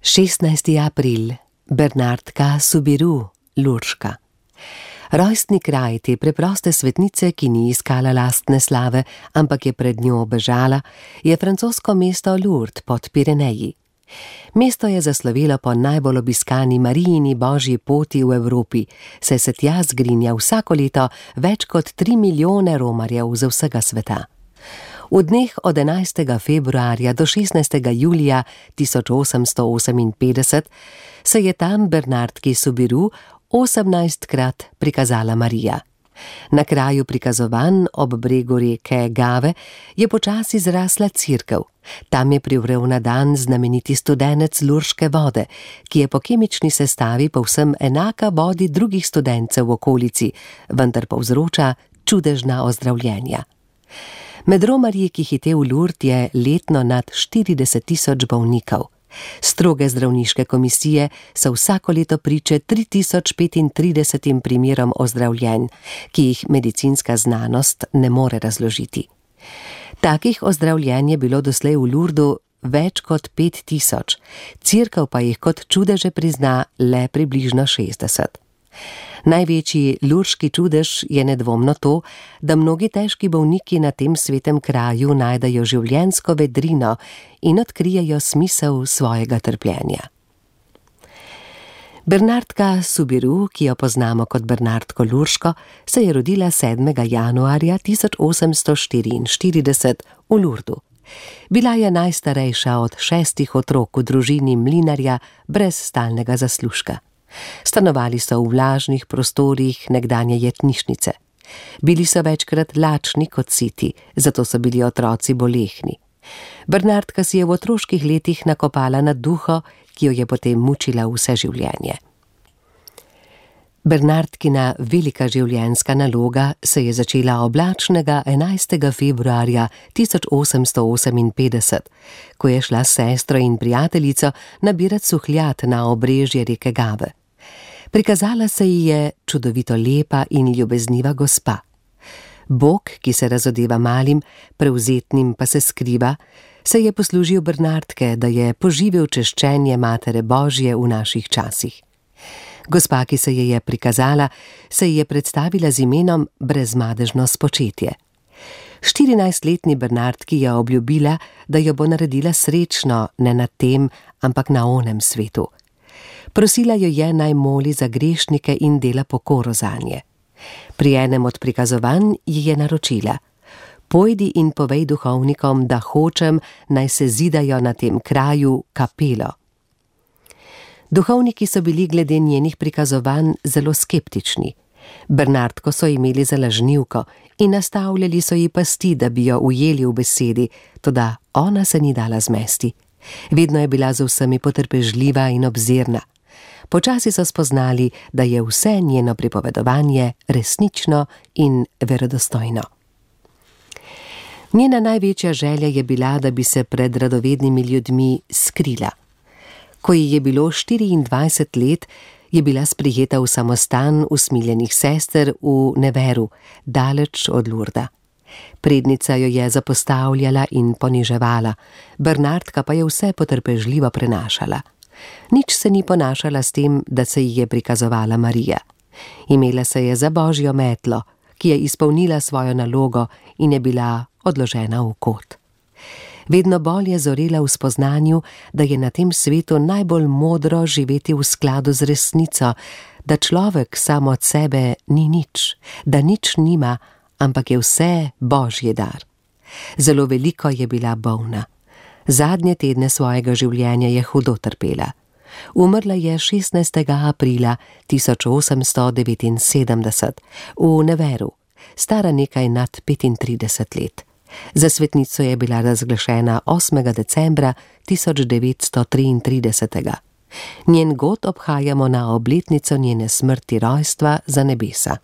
16. april. Bernardka Soubirous, Lurška. Rojstni kraj te preproste svetnice, ki ni iskala lastne slave, ampak je pred njo bežala, je francosko mesto Lourdes pod Pireneji. Mesto je zaslovelo po najbolj obiskani Marijini božji poti v Evropi, saj se tja zgrinja vsako leto več kot 3 milijone romarjev z vsega sveta. V dneh od 11. februarja do 16. julija 1858 se je tam Bernardki Soubirous 18-krat prikazala Marija. Na kraju prikazovanj ob bregu reke Gave je počasi zrasla cerkev. Tam je privrel na dan znameniti studenec lurške vode, ki je po kemični sestavi povsem enaka vodi drugih studencev v okolici, vendar povzroča čudežna ozdravljenja. Med romarji, ki hite v Lourdes, je letno nad 40.000 bolnikov. Stroge zdravniške komisije so vsako leto priče 3035 primerom ozdravljenj, ki jih medicinska znanost ne more razložiti. Takih ozdravljenj je bilo doslej v Lourdesu več kot 5000, cerkev pa jih kot čudeže prizna le približno 60. Največji lurški čudež je nedvomno to, da mnogi težki bolniki na tem svetem kraju najdejo življenjsko vedrino in odkrijejo smisel svojega trpljenja. Bernardka Soubirous, ki jo poznamo kot Bernardko Lurško, se je rodila 7. januarja 1844 v Lourdesu. Bila je najstarejša od 6 otrok v družini mlinarja brez stalnega zaslužka. Stanovali so v vlažnih prostorih nekdanje jetnišnice. Bili so večkrat lačni kot siti, zato so bili otroci bolehni. Bernardka si je v otroških letih nakopala na duho, ki jo je potem mučila vse življenje. Bernardkina velika življenjska naloga se je začela oblačnega 11. februarja 1858, ko je šla s sestro in prijateljico nabirat suhljat na obrežje reke Gave. Prikazala se ji je čudovito lepa in ljubezniva gospa. Bog, ki se razodeva malim, prevzetnim pa se skriva, se je poslužil Bernardke, da je poživil češčenje Matere Božje v naših časih. Gospa, ki se je prikazala, se ji je predstavila z imenom Brezmadežno spočetje. 14-letni Bernardki je obljubila, da jo bo naredila srečno ne na tem, ampak na onem svetu. Prosila jo je, naj moli za grešnike in dela pokoro zanje. Pri enem od prikazovanj ji je naročila: pojdi in povej duhovnikom, da hočem, naj se zidajo na tem kraju kapelo. Duhovniki so bili glede njenih prikazovanj zelo skeptični. Bernardko so imeli za lažnivko in nastavljali so ji pasti, da bi jo ujeli v besedi, toda ona se ni dala zmesti. Vedno je bila z vsemi potrpežljiva in obzirna. Počasi so spoznali, da je vse njeno pripovedovanje resnično in verodostojno. Njena največja želja je bila, da bi se pred radovednimi ljudmi skrila. Ko ji je bilo 24 let, je bila sprijeta v samostan usmiljenih sester v Nevers, daleč od Lourdesa. Prednica jo je zapostavljala in poniževala, Bernardka pa je vse potrpežljivo prenašala. Nič se ni ponašala s tem, da se ji je prikazovala Marija. Imela se je za božjo metlo, ki je izpolnila svojo nalogo in je bila odložena v kot. Vedno bolj je zorela v spoznanju, da je na tem svetu najbolj modro živeti v skladu z resnico, da človek sam od sebe ni nič, da nič nima, ampak je vse božji dar. Zelo veliko je bila bolna. Zadnje tedne svojega življenja je hudo trpela. Umrla je 16. aprila 1879 v Neversu, stara nekaj nad 35 let. Za svetnico je bila razglašena 8. decembra 1933. Njen god obhajamo na obletnico njene smrti rojstva za nebesa.